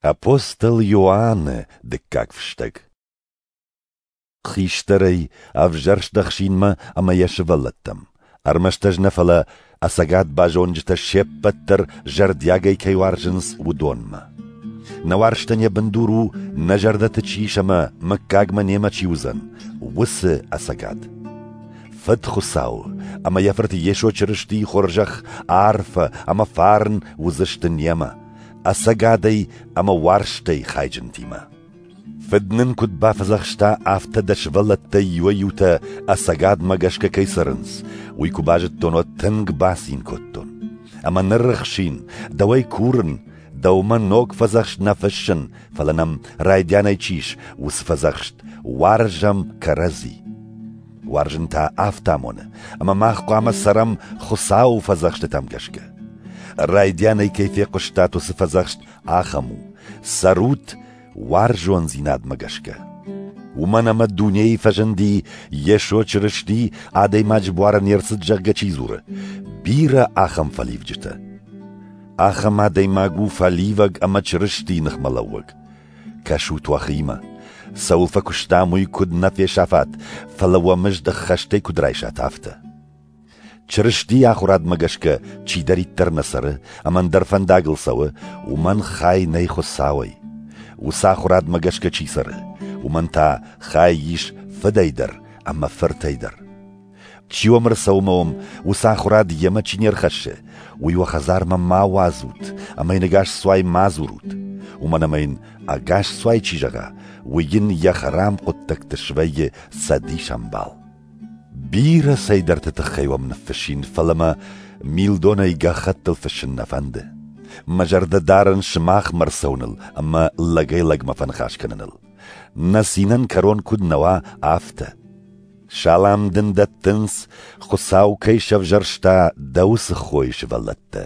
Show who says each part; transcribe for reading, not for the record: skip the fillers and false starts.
Speaker 1: Апостол Иоанны дыккаг фыстӕг. Хистӕрӕй ӕвзӕрст ӕхсинмӕ ӕмӕ йӕ сывӕллӕттӕм. Ӕрмӕст ӕз нӕ, фӕлӕ ӕцӕгад базонджытӕ се ппӕт дӕр зӕрдиагӕй кӕй уарзынц, уыдонмӕ. Нӕ уарзтӕн йӕ бындур у, нӕ зӕрдӕты чи ис ӕмӕ мыггагмӕ немӕ чи уыдзӕн, уыцы ӕцӕгад. Фыд Хуыцау ӕмӕ йӕ Фырт Йесо Чырыстийы хорзӕх, арфӕ ӕмӕ фарн уыдзысты немӕ, ӕцӕгадӕй ӕмӕ уарзтӕй хайджынтимӕ. Фыд нын куыд бафӕдзӕхста, афтӕ дӕ сывӕллӕттӕй иуӕй-иутӕ ӕцӕгадмӕ гӕсгӕ кӕй цӕрынц, уый куы базыдтон, уӕд тынг бацин кодтон. Ӕмӕ ныр, ӕхсин, дӕуӕй курын, дӕумӕ ног фӕдзӕхст нӕ фыссын, фӕлӕ нӕм райдианӕй чи ис, уыцы фӕдзӕхст: уарзӕм кӕрӕдзи. Уарзын та афтӕ амоны, ӕмӕ мах хъуамӕ цӕрӕм Хуыцауы фӕдзӕхстытӕм гӕсгӕ. Райдианӕй кӕй фехъуыстат, уыцы фӕдзӕхст ахӕм у: цӕрут уарзондзинадмӕ гӕсгӕ. Уымӕн ӕмӕ дунейы фӕзынди Йесо Чырысти адӕймаджы буары не рцыд, зӕгъгӕ, чи дзуры, бирӕ ахӕм фӕливджытӕ. Ахӕм адӕймаг у фӕливӕг ӕмӕ Чырыстийы ныхмӕлӕууӕг. Кӕсут уӕхимӕ, цӕуыл фӕкуыстам, уый куыд нӕ фесафат, фӕлӕ уӕ мызд ӕххӕстӕй куыд райсат, афтӕ. Чырыстийы ахуырадмӕ гӕсгӕ чидӕриддӕр нӕ цӕры ӕмӕ ӕндӕр фӕндагыл цӕуы, уымӕн хай нӕй Хуыцауӕй. Уыцы ахуырадмӕ гӕсгӕ чи цӕры, уымӕн та хай ис Фыдӕй дӕр ӕмӕ Фыртӕй дӕр. Чи уӕм ӕрцӕуы ӕмӕ уӕм уыцы ахуырад йемӕ чи не рхӕссы, уый уӕ хӕдзармӕ ма уадзут ӕмӕ йын ӕгас цуай ма дзурут, уымӕн ӕмӕ йын ӕгас цуай чи зӕгъа, уый йын йӕ хӕрам хъуыддӕгты свӕййы цӕдисӕмбал. Бирӕ цӕйдӕрты тыххӕй уӕм ныффыссин, фӕлӕ мӕ милдонӕй гӕххӕттыл фыссын нӕ фӕнды. Мӕ зӕрдӕ дарын сымахмӕ ӕрцӕуыныл ӕмӕ лӕгӕй-лӕгмӕ фӕныхас кӕныныл. Нӕ цинӕн кӕрон куыд нӕ уа, афтӕ. Салам дын дӕттынц, Хуыцау кӕй сӕвзӕрста, дӕ уыцы хойы сывӕллӕттӕ.